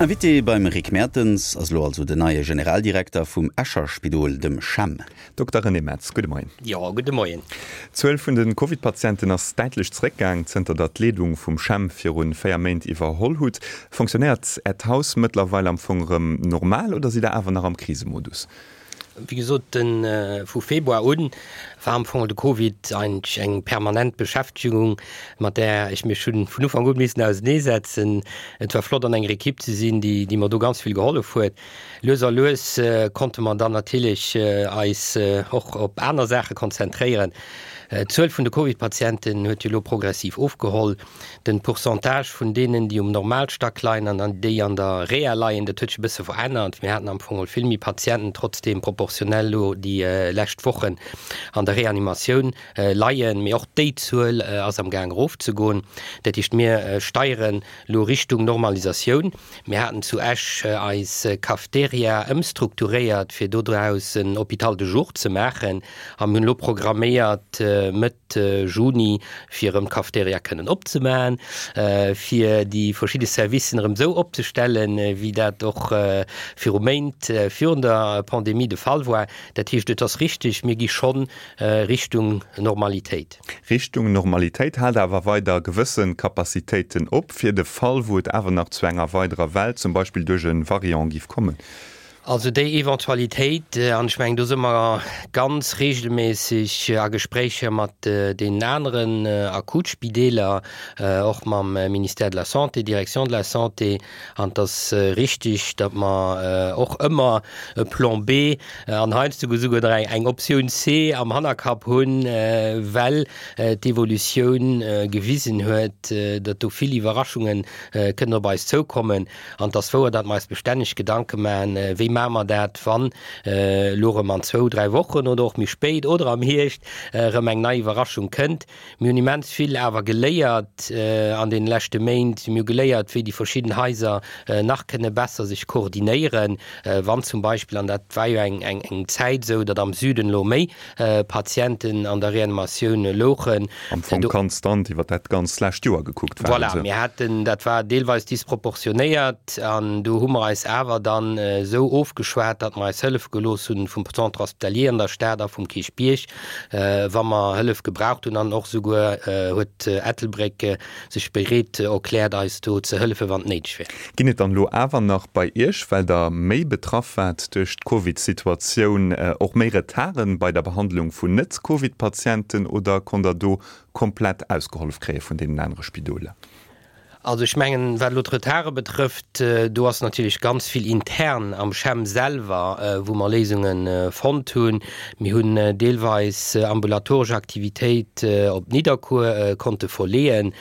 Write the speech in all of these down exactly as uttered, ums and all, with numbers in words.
Invité beim Rick Mertens ass elo also den neie Generaldirekter vum Escher Spidol, dem CHEM. Dokter René Metz, gudde Moien. Jo, gudde Moien. D'Zuel vun de Covid-Patienten ass däitlech zeréckgaang, zënter der d'Leedung vum CHEM viru véier Méint iwwerholl hutt. Fonctionnéiert Äert Haus mëttlerweil am Fong erëm normal oder sidd Der awer nach am Krisemodus? Wéi gesot, de vu Februar un war am Fong de Covid eigentlech eng permanent Beschäftegung, mat där ech mech hunn vun Ufank un missen auseneesetzen. Et war flott an enger Ekipp ze sinn, déi déi mer do ganz vill gehollef huet. Lues a lues konnte mer dann natierlech eis och op aner Saache konzentréieren. D'Zuel vun de Covid-Patienten huet jo elo progressiv ofgeholl. Den Pourcentage vun deenen, déi um Normalstack leien an an déi an der Reha leien, dat huet sech e bësse verännert. Mir haten am Fong vill méi Patienten trotzdeem proportionell elo déi lescht Wochen an der Reanimatioun leien. Mee och déi Zuel ass am Gaang erofzegoen. Dat heescht, mir steieren elo Richtung Normalisatioun. Mir haten zu Esch eis Cafeteria ëmstrukturéiert, fir dodraus en Hôpital de jour ze maachen. A mir hunn elo programméiert, Mëtt Juni, fir erëm d'Cafeteria kënnen opzemaachen, fir déi verschidde Servicen erëm esou opzestellen, wéi dat och viru Méint virun der Pandemie de Fall war. Dat heescht, et ass richtig, mir gi schonn Richtung Normalitéit. Richtung Normalitéit, haalt awer weider gewësse Capacitéiten op, fir de Fall, wou et awer nach zu enger weiderer Well, zum Beispill duerch e Variant, giff kommen. Also déi Eventualitéit, an ech mengen do si mer ganz regelméisseg a Gespréicher mat deenen aneren Akutspideeler, och mam Ministère de la Santé, Direction de la Santé, an et ass richtig, datt mer och ëmmer e Plan B an heiansdo esouguer nach eng Optioun C am Hannerkapp hunn, well d'Evolutioun gewisen huet, datt do vill Iwwerraschunge kënnen op eis zoukommen. An et ass wouer, datt mer eis bestänneg Gedanke maachen, wéi maache mer dat, wann elo erëm an zwou, dräi Wochen oder och méi spéit oder am Hierscht erëm eng nei Iwwerraschung kënnt. Mir hunn immens vill awer geléiert an deene leschte Méint. Mir hu geléiert, wéi déi verschidden Haiser nach kënne besser sech koordinéieren, wann zum Beispill, an dat war jo eng eng Zäit esou, datt am Süden elo méi Patienten an der Reanimatioun louchen. Am Fong konstant iwwer dat ganz lescht Joer gekuckt war. Voilà, mir haten, dat war deelweis disproportionéiert an do hu mer eis awer dann esou ofgeschwat, datt mer eis hëllefe gelooss hunn vum Centre hospitalier an der Stad a vum Kierchbierg, wa mer Hëllef gebraucht hunn. An och souguer huet Ettelbréck sech bereet erkläert, eis do ze hëllefen, wann et néideg wär. Ginn et dann elo awer nach bei Iech, well Der méi betraff waart duerch d'Covid-Situatioun, och méi Retarden bei der Behandlung vun Net-Covid-Patienten oder konnt Der do komplett ausgehollef kréie vun deenen anere Spidoler? Also ech mengen, wat elo d'Retarde betrëfft, do ass natierlech ganz vill intern am CHEM selwer, wou mer Léisunge fonnt hunn. Mir hunn deelweis ambulatoresch Aktivitéit op Nidderkuer konnte verleeën.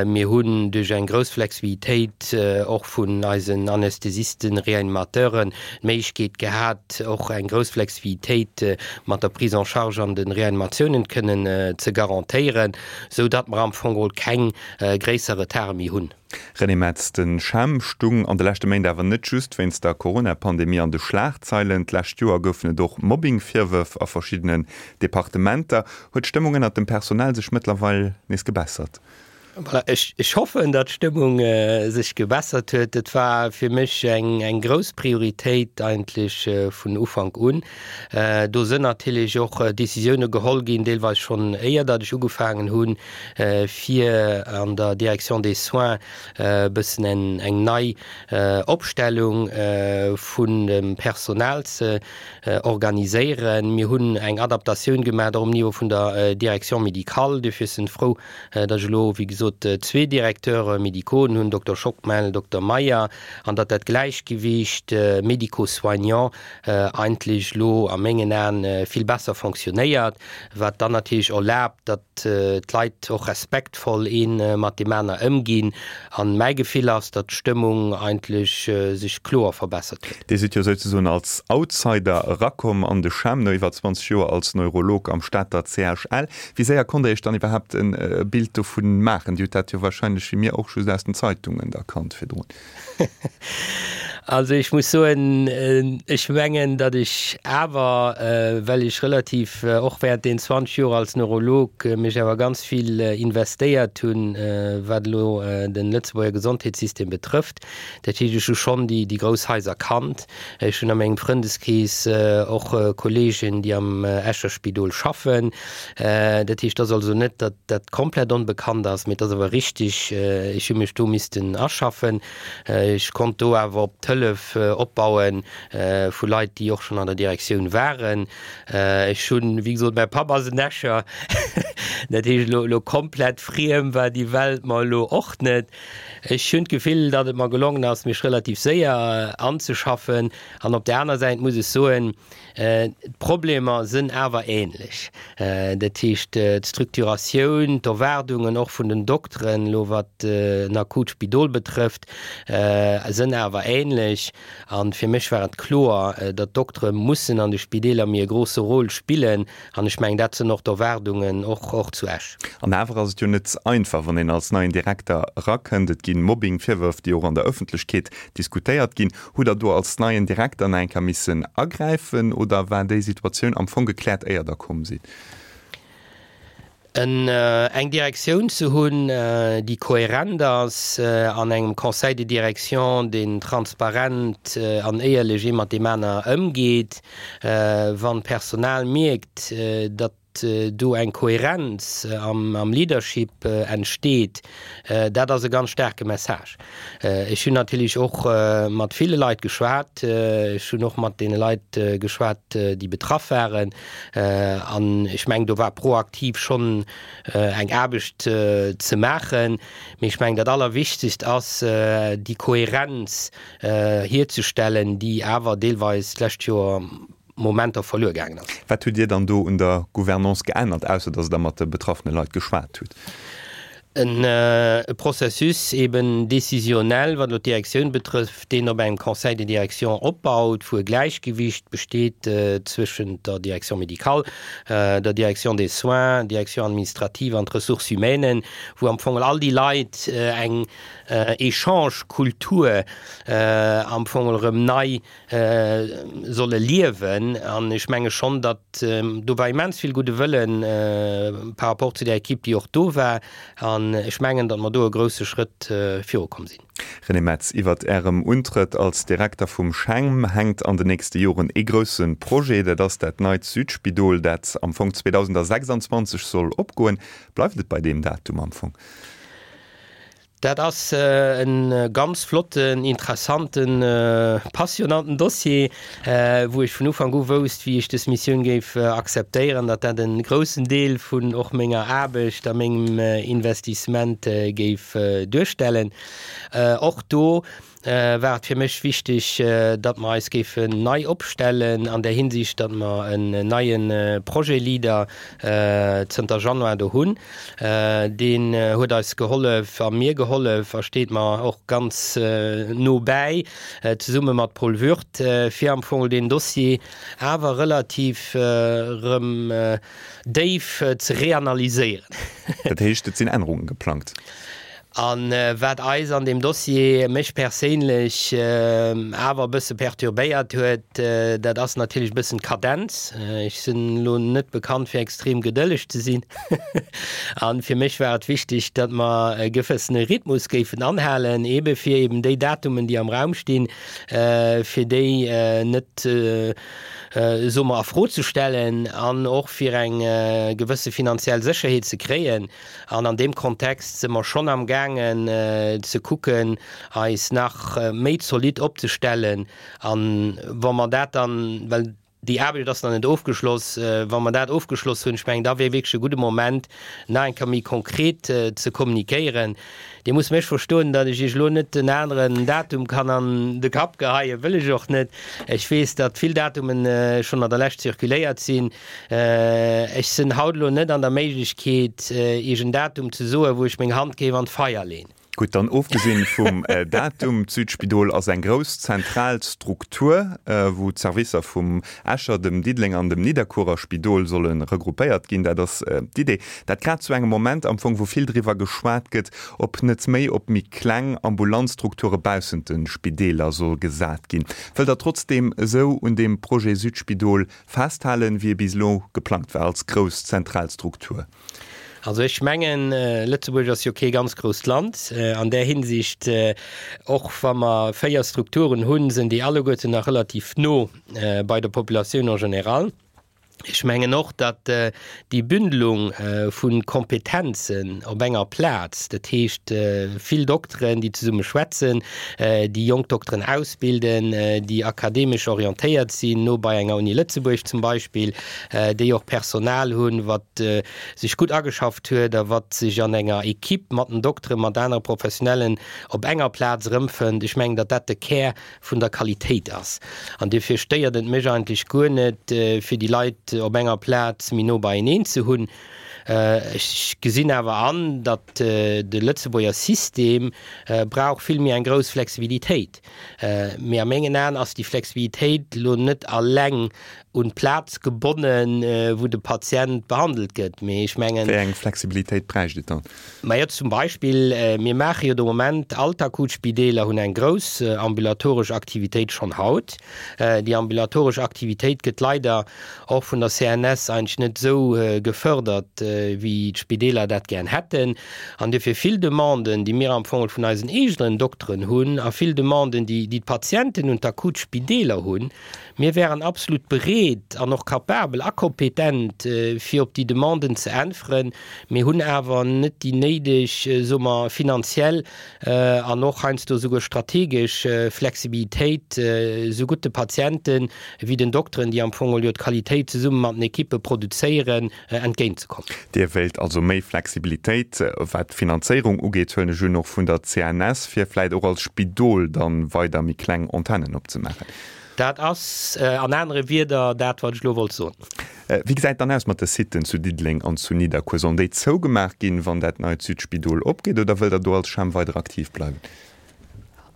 Mir hunn duerch eng grouss Flexibilitéit och vun eisen Anästhesisten, Reanimateuren d'Méiglechkeet gehat, och eng grouss Flexibilitéit mat der Prise en charge an de Reanimatiounen kënnen ze garantéieren, esou datt mer am Fong geholl keng gréisser Retarde méi hunn. René Metz, De CHEM stung an de leschte Méint awer net just wéinst der Corona-Pandemie an de Schlagzeilen. D'lescht Joer goufen et och Mobbing-Virwërf a verschiddenen Departementer. Huet d'Stëmmung ënnert dem Personal sech mëttlerweil nees gebessert? Voilà, ech, ech hoffen, datt d'Stëmmung sech gebessert huet. Et war fir mech eng, eng grouss Prioritéit eigentlech vun Ufank un. Do sënn natierlech och Décisioune geholl ginn, deelweis schonn éier datt ech ugefaangen hunn, fir an der Direction des soins e bëssen eng, eng nei Opstellung vun dem Personal ze organiséieren. Mir hunn eng Adaptatioun gemaach och um Niveau vun der Direction médicale. Duerfir sinn frou, datt ech elo, wéi gesot, zwee Directeurs médicaux hunn, Dokter Schockmel, Dokter Meyer, an datt dat Gläichgewicht médico-soignant eigentlech elo a mengen Aen vill besser fonctionnéiert, wat dann natierlech erlaabt, datt d'Leit och respektvoll ee mat deem aner ëmginn. An mäi Gefill ass, datt d'Stëmmung eigentlech sech kloer verbessert huet. Dir sidd jo souzesoen als Outsider erakomm an de CHEM, no iwwer zwanzeg Joer als Neurolog am Stater C H L. Wéi séier konnt Der Iech dann iwwerhaapt e Bild dovun maachen? Dir hutt dat jo wahrscheinlech wéi mir och just aus den Zeitungen da kannt virdrun. Also ech muss soen, ech mengen, datt ech awer, well ech relativ och während den zwanzeg Joer als Neurolog mech awer ganz vill investéiert hunn, wat elo den Lëtzebuerger Gesondheetssystem betrëfft, dat heescht ech hu schonn déi déi grouss Haiser kannt. Ech hunn a mengem Frëndeskrees och Kollegen, déi am Escher Spidol schaffen. Dat heescht, et ass also net, datt dat komplett onbekannt ass, mee et ass awer richtig, ech hu mech do missten aschaffen. Ech konnt do awer op d'Hëllef opbaue vu Leit, déi och schonn an der Direktioun waren. Ech hunn, wéi gesot, mäi Papp ass en Escher, dat heescht elo elo komplett friem war déi Welt mer elo och net. Ech hunn d'Gefill, datt et mer gelongen ass, mech relativ séier anzeschaffen. An op där aner Säit muss ech soen, d'Problemer sënn awer ähnlech. Dat heescht, d'Strukturatioun, d'Erwaardungen och vun den Dokteren, elo wat en akut Spidol betrëfft, sënn awer ähnlech. A fir mech war et kloer, datt d'Doktere mussen an de Spideeler méi e grosse Rôle spillen. An ech mengen, dat sënn och d'Erwaardungen, och, och zu Esch. An awer ass et jo net einfach, wann een als neien Direkter erakënnt. Et ginn Mobbing-Virwërf, déi och an der Ëffentlechkeet diskutéiert ginn. Hutt Der do als neien Direkter nach eng Kéier missen agräifen oder war déi Situatioun am Fong gekläert, éier Der komm sidd? Eng Direktioun ze hunn, déi kohärent ass, an engem Conseil de direction, deen transparent an éierlech ee mat deem aner ëmgeet, wann d'Personal mierkt, datt do eng Kohärenz am Leadership entsteet, dat ass e ganz staarke Message. Ech hunn natierlech och mat ville Leit geschwat. Ech hunn och mat deene Leit geschwat, déi betraff waren. An ech mengen, do war proaktiv schonn eng Aarbecht ze maachen. Mee ech mengen, dat Allerwichtegst ass, déi Kohärenz hierzestellen, déi awer deelweis d'lescht Joer Momenter verluer gaangen ass. Wat hutt Dir dann do un der Gouvernance geännert, ausser datt Der mat de betraffene Leit geschwat hutt? E Processus eben décisionnel, wat elo d'Direktioun betrëfft, deen op engem Conseil de direction opbaut, wou e Gläichgewicht besteet zwëschent der Direction médicale, der Direction des soins, Direction administrative an d'Ressources humaines, wou am Fong all déi Leit eng Echange-Kultur am Fong erëm nei solle liewen. An ech menge schonn, datt do war immens vill gudde Wëlle par rapport zu där Equipe, déi och do war. An ech mengen, datt mer do e grouse Schrëtt virukomm sinn. René Metz, Iwwert Ärem Untrëtt als Direkter vum CHEM hänkt an den nächste Joren ee grousse Projet, dat ass dat neit Südspidol, dat am Fong zweedausendsechsanzwanzeg soll opgoen. Bleift et bei deem Datum am Fong? Dat ass e ganz flotten, interessanten, passionanten Dossier, wou ech vun Ufank u wousst, wéi ech dës Missioun géif akzeptéieren, datt dat e groussen Deel vun och menger Aarbecht a mengem Investissement géif duerstellen. Och do war et fir mech wichteg, datt mer eis géifen nei opstellen an där Hinsicht, datt mer en neie Projet-Leader zënter Januar do hunn. Deen huet eis gehollef a mir gehollef a steet mer och ganz no bäi, zesumme mat Paul Würth, fir am Fong deen Dossier awer relativ erëm déif ze reanalyséieren. Dat heescht, et sinn Ännerunge geplangt? A wat eis an deem Dossier, mech perséinlech awer e bësse perturbéiert huet, dat ass natierlech e bëssen d'Kadenz. Ech sinn elo net bekannt fir extrem gedëlleg ze sinn. A fir mech war et wichteg, datt mer e gewëssene Rhythmus géifen anhalen, eebe fir eeben déi Datumen, déi am Raum stinn, fir déi net, soe mer, a Fro ze stellen an och fir eng gewësse finanziell Sécherheet ze kréien. An an deem Kontext si mer schonn am gaangen ze kucken, eis nach méi zolidd opzestellen. A wa mer dat dann, well déi Aarbecht ass nach net ofgeschloss, wa mer dat ofgeschloss hunn, ech mengen, da wier wierklech e gudde Moment, nach eng Kéier méi konkret ze kommunikéieren. Dir musst mech verstoen, datt ech Iech elo net en aneren Datum kann an de Kapp geheien, wëll ech och net. Ech weess, datt vill Datumen schonn an der Lescht zirkuléiert sinn. Ech sinn haut elo net an der Méiglechkeet, Iech en Datum ze soen, wou ech meng Hand géif an d'Feier leen. Gutt, dann ofgesinn vum Datum, d'Südspidol ass eng grouss zentral Struktur, wou d'Servicer vum Escher, dem Diddelenger an dem Nidderkuerer Spidol solle regroupéiert ginn. Dat ass d'Idee. Dat grad zu engem Moment am Fong, wou vill driwwer geschwat gëtt, ob net méi op méi kleng ambulant Strukture baussent de Spideeler soll gesat ginn. Wëllt Der trotzdeem esou un deem Projet Südspidol festhalen, wéi e bis elo geplangt war, als grouss zentral Struktur? Also ech mengen, Lëtzebuerg ass jo kee ganz grousst Land an där Hinsicht. Och wa mer véier Strukturen hunn, sinn déi alleguerten nach relativ no bei der Populatioun en général. Ech mengen och, datt déi Bündelung vu Kompetenzen op enger Plaz, dat heescht vill Dokteren, déi zesumme schwätzen, déi jonk Dokteren ausbilden, déi akademesch orientéiert sinn, no bei enger Uni Lëtzebuerg zum Beispill, déi och Personal hunn, wat sech gutt ageschafft huet a wat sech an enger Equipe mat den Dokteren, mat anere Professionellen op enger Plaz erëmfënnt. Ech mengen, datt dat de Kär vun der Qualitéit ass. An duerfir stéiert et mech eigentlech guer net, fir déi Leit op enger Plaz méi no beieneen ze hunn. Ech gesinn awer an, datt de Lëtzebuerger System brauch vill méi eng grouss Flexibilitéit. Mee a mengen Aen ass déi Flexibilitéit elo net alleng un d'Plaz gebonnen, wou de Patient behandelt gëtt. Mee ech mengen. Wéi eng Flexibilitéit bräicht et dann? Majo, zum Beispill, mir maache jo de Moment, all d'Akutspideeler hunn eng grouss ambulatoresch Aktivitéit schonn haut. Déi ambulatoresch Aktivitéit gëtt leider och vun der C N S eigentlech net esou gefördert, wéi d'Spideeler dat gären hätten. An duerfir vill Demanden, déi mir am Fong vun eisen eegenen Dokteren hunn a vill Demanden, déi d'Patienten un d'Akutspideeler hunn, mir wären absolut bereet an och capabel a kompetent, fir op déi Demanden ze äntweren. Mir hunn awer net déi néideg, soe mer, finanziell an och heiansdo esouguer strategesch Flexibilitéit, esougutt de Patienten wéi den Dokteren, déi am Fong jo d'Qualitéit zesumme mat den Ekippe produzéieren, entgéintzekommen. Dir wéilt also méi Flexibilitéit, wat d'Finanzéierung ugeet, huelen ech un, och vun der C N S, fir vläicht och als Spidol dann weider méi kleng Antennen opzemaachen. Dat ass an anere Wierder dat, wat ech elo wollt soen. Wéi gesäit et dann aus mat de Siten zu Diddeleng an zu Nidderkuer? Sollen déi zougemaach ginn, wann dat neit Südspidol opgeet, oder wëllt Der do als Champ weider aktiv bleiwen?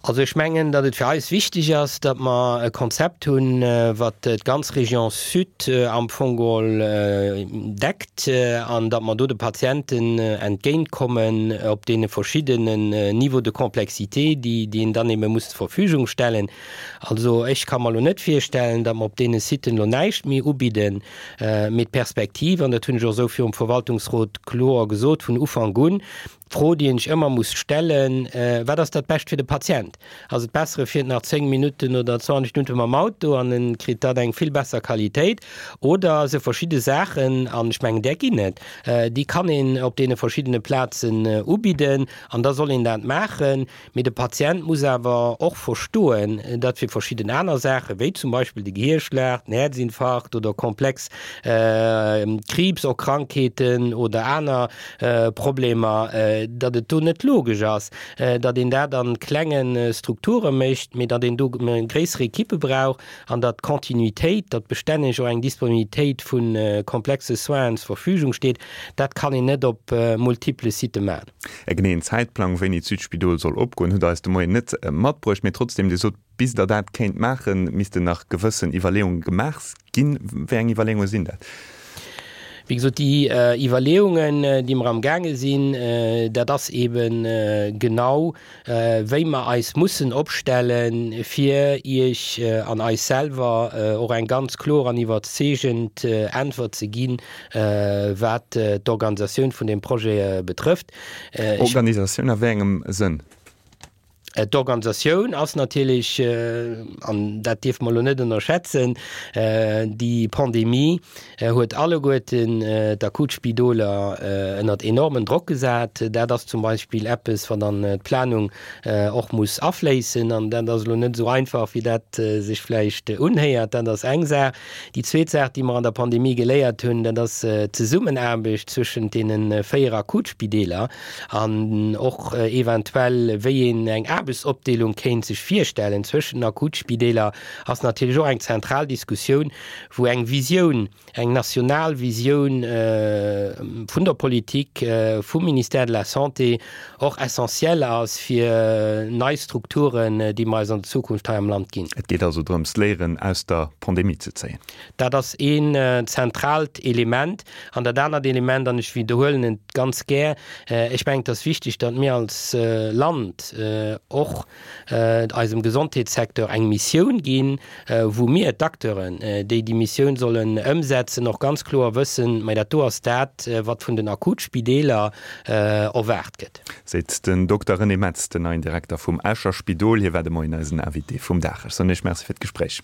Also ech mengen, datt et fir eis wichteg ass, datt mer e Konzept hunn, wat d'ganz Région Sud am Fong geholl deckt an datt mer do de Patienten entgéintkommen op deene verschiddenen Niveaux de complexité, déi déi een dann ebe muss zur Verfügung stellen. Also ech ka mer elo net virstellen, datt mer op deene Siten elo näischt méi ubidden, mee d'Perspektiv, an dat hunn ech och esou virum Verwaltungsrot kloer gesot vun Ufank un, D'Fro, déi een sech ëmmer muss stellen, Wat ass dat Bescht fir de Patient? Ass et besser, e fiert nach zéng Minutten oder zwanzeg Minutte mam Auto an en kritt dann eng vill besser Qualitéit? Oder esou verschidde Saachen, an ech mengen, där ginn et, déi kann een op deene verschiddene Plazen ubidden an da soll een dat maachen. Mee de Patient muss awer och verstoen, datt fir verschidden aner Saachen, wéi zum Beispill de Gehirschlag, den Häerzinfarkt oder komplex Kriibserkrankheeten oder aner Problemer, datt et do net logesch ass, datt een dat a klenge Strukture mécht, mee datt een do gréisser Ekippe brauch an datt d'Continuitéit, datt bestänneg och eng Disponibilitéit vu komplexe Soinen zur Verfügung steet, dat kann een net op multiple Sitë maachen. E geneeën Zäitplang, wéini d'Südspidol soll opgoen, hutt Der eis de Moien net matbruecht. Mee trotzdem, Dir sot, bis Der dat kéint maachen, missten nach gewëssen Iwwerleeunge gemaach ginn. Wéi eng Iwwerleeunge sinn dat? Wéi gesot, déi Iwwerleeungen, déi mer amgaange sinn, dat ass eebe genau, wéi mer eis mussen opstellen, fir Iech an eis selwer och eng ganz kloer an iwwerzeegend Äntwert ze ginn, wat d'Organisatioun vun deem Projet betrëfft. Organisatioun a wéi engem Sënn? D'Organisatioun ass natierlech, an dat dierfe mer elo net ënnerschätzen, déi Pandemie huet alleguerten d'Akutspidoler ënnert enormen Drock gesat. Dat ass zum Beispill eppes, wat an d'Planung och muss afléissen. An dat ass elo net esou einfach, wéi dat sech vläicht unhéiert. Dat ass eng Saach. Déi zweet Saach, déi mer an der Pandemie geléiert hunn, dat ass d'Zesummenaarbecht zwëschent deene véier Akutspideeler an och eventuell, wéi een eng Aarbechtsopdeelung kéint sech virstellen zwëschen den Akutspideeler, ass natierlech och eng zentral Diskussioun, wou eng Visioun, eng national Visioun vun der Politik, vum Ministère de la Santé och essentiell ass fir nei Strukturen, déi mer eis an der Zukunft hei am Land ginn. Et geet also drëms, Léieren aus der Pandemie ze zéien. Dat ass een zentraalt Element. An dat anert Element, an ech widderhuelen et ganz gär, ech mengen, et ass wichteg, datt mir als Land och eisem Gesondheetssecteur eng Missioun ginn, wou mir, d'Acteuren, déi déi Missioun sollen ëmsetzen, och ganz kloer wëssen, Mä dat do ass dat, wat vun den Akutspideeler erwaart gëtt. Seet den Dokter René Metz, den neien Direkter vum Escher Spidol. Hie war de Moien eisen Invité vum Dag. Ech soen Iech Merci fir d'Gespréich.